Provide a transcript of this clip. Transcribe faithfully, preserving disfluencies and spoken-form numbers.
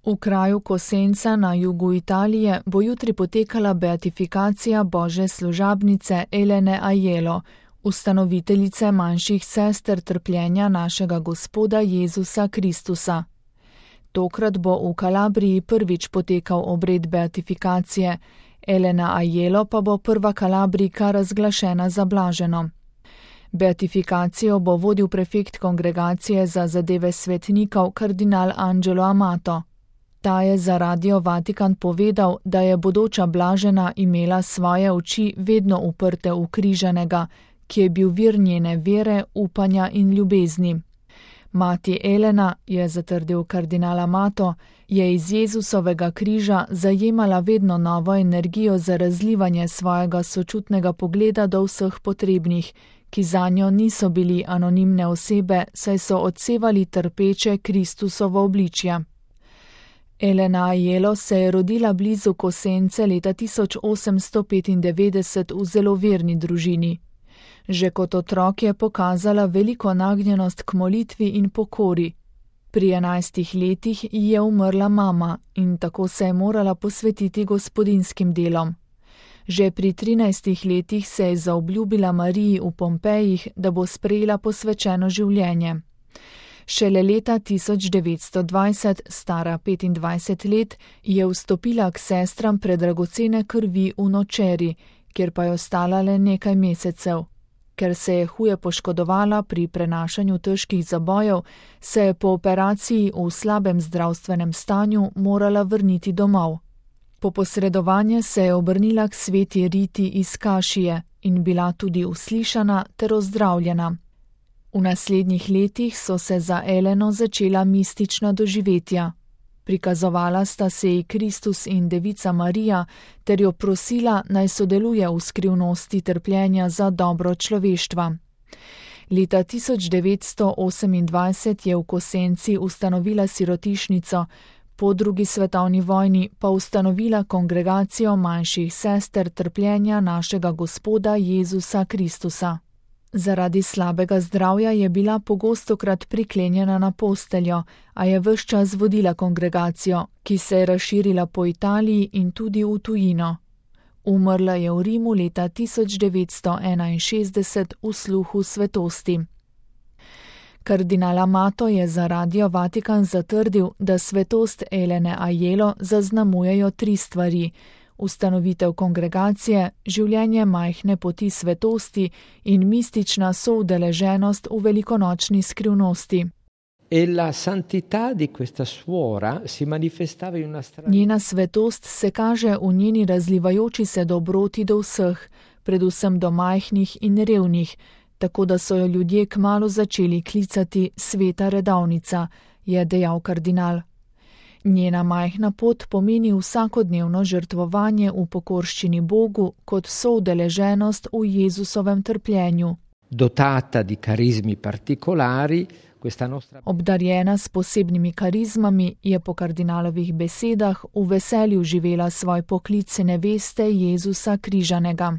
V kraju Cosenza na jugu Italije bo jutri potekala beatifikacija božje služabnice Elene Aiello, ustanoviteljice manjših sester trpljenja našega Gospoda Jezusa Kristusa. Tokrat bo v Kalabriji prvič potekal obred beatifikacije, Elena Aiello pa bo prva Kalabrijka razglašena za blaženo. Beatifikacijo bo vodil prefekt kongregacije za zadeve svetnikov kardinal Angelo Amato. Ta je za Radio Vatikan povedal, da je bodoča blažena imela svoje oči vedno uprte v križanega, ki je bil vir njene vere, upanja in ljubezni. Mati Elena, je zatrdil kardinal Amato, je iz Jezusovega križa zajemala vedno novo energijo za razlivanje svojega sočutnega pogleda do vseh potrebnih, ki zanjo niso bili anonimne osebe, saj so odsevali trpeče Kristusovo obličje. Elena Aiello se je rodila blizu Cosence leta tisoč osemsto petindevetdeset v zelo verni družini. Že kot otrok je pokazala veliko nagnjenost k molitvi in pokori. Pri enajstih letih ji je umrla mama in tako se je morala posvetiti gospodinskim delom. Že pri trinajstih letih se je zaobljubila Mariji v Pompejih, da bo sprejela posvečeno življenje. Šele leta tisoč devetsto dvajset, stara petindvajset let, je vstopila k sestram predragocene krvi v Nočeri, kjer pa je ostala le nekaj mesecev. Ker se je huje poškodovala pri prenašanju težkih zabojev, se je po operaciji v slabem zdravstvenem stanju morala vrniti domov. Po posredovanje se je obrnila k sveti Riti iz Kašije in bila tudi uslišana ter ozdravljena. V naslednjih letih so se za Eleno začela mistična doživetja. Prikazovala sta se ji Kristus in Devica Marija ter jo prosila, naj sodeluje v skrivnosti trpljenja za dobro človeštva. Leta tisoč devetsto osemindvajset je v Cosenci ustanovila sirotišnico, po drugi svetovni vojni pa ustanovila kongregacijo manjših sester trpljenja našega Gospoda Jezusa Kristusa. Zaradi slabega zdravja je bila pogostokrat priklenjena na posteljo, a je ves čas vodila kongregacijo, ki se je razširila po Italiji in tudi v tujino. Umrla je v Rimu leta tisoč devetsto enainšestdeset v sluhu svetosti. Kardinal Amato je za Radio Vatikan zatrdil, da svetost Elene Aiello zaznamujejo tri stvari: ustanovitev kongregacije, življenje majhne poti svetosti in mistična soudeleženost v velikonočni skrivnosti. Njena svetost se kaže v njeni razlivajoči se dobroti do vseh, predvsem do majhnih in revnih, tako da so jo ljudje kmalu začeli klicati sveta redovnica, je dejal kardinal. Njena majhna pot pomeni vsakodnevno žrtvovanje v pokorščini Bogu kot soudeleženost v Jezusovem trpljenju. Dotata di carismi particolari, questa nostra... Obdarjena s posebnimi karizmami je po kardinalovih besedah v veselju živela svoj poklic neveste Jezusa križanega.